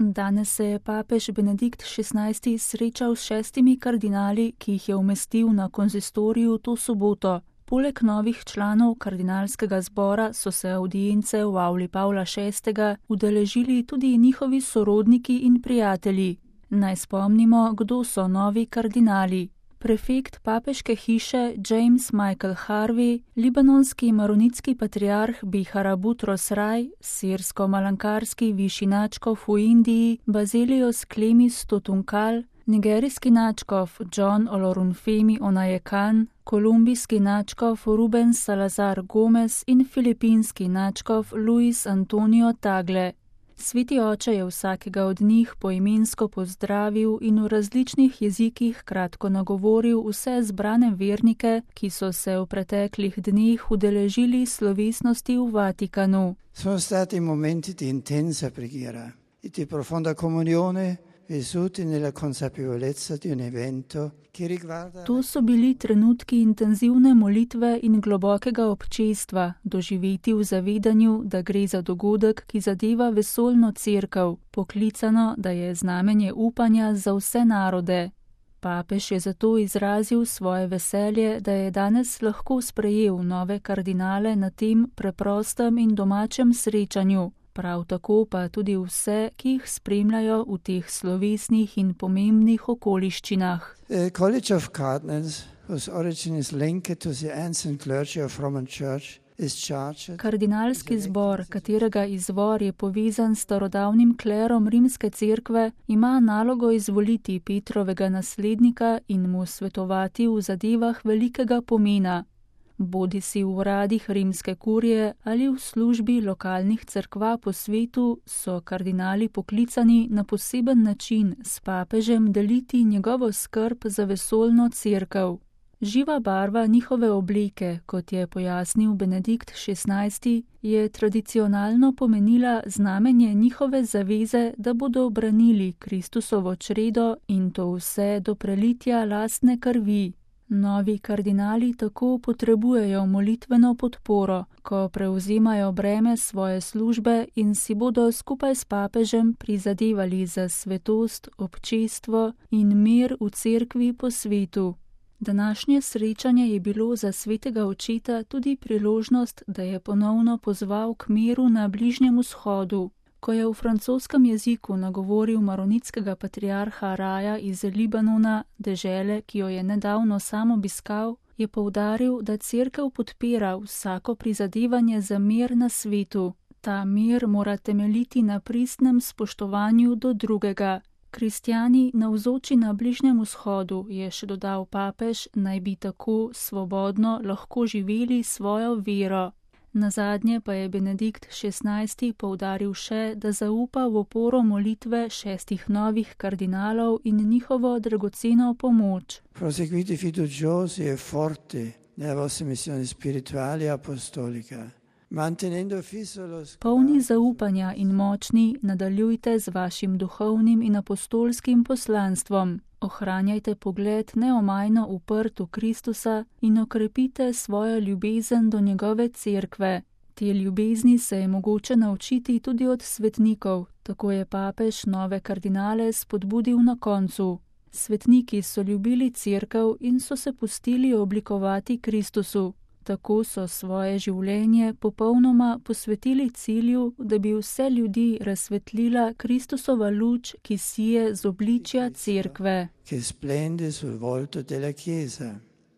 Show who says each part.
Speaker 1: Danes se je papež Benedikt XVI srečal s 6 kardinali, ki jih je umestil na konzistoriju to soboto. Poleg novih članov kardinalskega zbora so se avdience v avli Pavla VI. Udeležili tudi njihovi sorodniki in prijatelji. Naj spomnimo, kdo so novi kardinali. Prefekt papeške hiše James Michael Harvey, libanonski maronitski patriarh Bihara Butros Rai, sirsko-malankarski višji nadškof v Indiji Bazelios Klemis Totunkal, nigerijski nadškof John Olorunfemi Onajekan, kolumbijski nadškof Ruben Salazar Gomez in filipinski nadškof Luis Antonio Tagle. Sveti oče je vsakega od njih poimensko pozdravil in v različnih jezikih kratko nagovoril vse zbrane vernike, ki so se v preteklih dneh udeležili slovesnosti v Vatikanu.
Speaker 2: Sono stati momenti di intensa preghiera e di profonda comunione vissuti nella consapevolezza di un evento che riguarda.
Speaker 1: To so bili trenutki intenzivne molitve in globokega občestva, doživeti v zavedanju, da gre za dogodek, ki zadeva vesoljno cerkev, poklicano, da je znamenje upanja za vse narode. Papež je zato izrazil svoje veselje, da je danes lahko sprejel nove kardinale na tem preprostem in domačem srečanju. Prav tako pa tudi vse, ki jih spremljajo v teh slovesnih in pomembnih okoliščinah.
Speaker 2: College of Cardinals, whose origin is linked to the ancient clergy of Roman Church, is charged.
Speaker 1: Kardinalski zbor, katerega izvor je povezan s starodavnim klerom rimske cerkve, ima nalogo izvoliti Petrovega naslednika in mu svetovati v zadevah velikega pomena. Bodisi v uradih rimske kurije ali v službi lokalnih cerkva po svetu, so kardinali poklicani na poseben način s papežem deliti njegovo skrb za vesoljno cerkev. Živa barva njihove obleke, kot je pojasnil Benedikt XVI, je tradicionalno pomenila znamenje njihove zaveze, da bodo obranili Kristusovo čredo in to vse do prelitja lastne krvi. Novi kardinali tako potrebujejo molitveno podporo, ko prevzemajo breme svoje službe in si bodo skupaj s papežem prizadevali za svetost, občestvo in mir v cerkvi po svetu. Današnje srečanje je bilo za svetega očeta tudi priložnost, da je ponovno pozval k miru na Bližnjem vzhodu. Ko je v francoskem jeziku nagovoril maronitskega patriarha Raja iz Libanona, dežele, ki jo je nedavno sam obiskal, je poudaril, da cerkev podpira vsako prizadevanje za mir na svetu. Ta mir mora temeljiti na pristnem spoštovanju do drugega. Kristjani navzoči na Bližnjem vzhodu, je še dodal papež, naj bi tako svobodno lahko živeli svojo vero. Nazadnje pa je Benedikt XVI poudaril še, da zaupa v oporo molitve 6 novih kardinalov in njihovo dragoceno pomoč.
Speaker 2: Proseguite fiduciosi e forti nella vostra missione spirituale e apostolica.
Speaker 1: Polni zaupanja in močni nadaljujte z vašim duhovnim in apostolskim poslanstvom. Ohranjajte pogled neomajno uprt v Kristusa in okrepite svojo ljubezen do njegove cerkve. Te ljubezni se je mogoče naučiti tudi od svetnikov, tako je papež nove kardinale spodbudil na koncu. Svetniki so ljubili cerkev in so se pustili oblikovati Kristusu. Tako so svoje življenje popolnoma posvetili cilju, da bi vse ljudi razsvetlila Kristusova luč, ki sije z obličja cerkve.
Speaker 2: Che splende sul volto della Chiesa.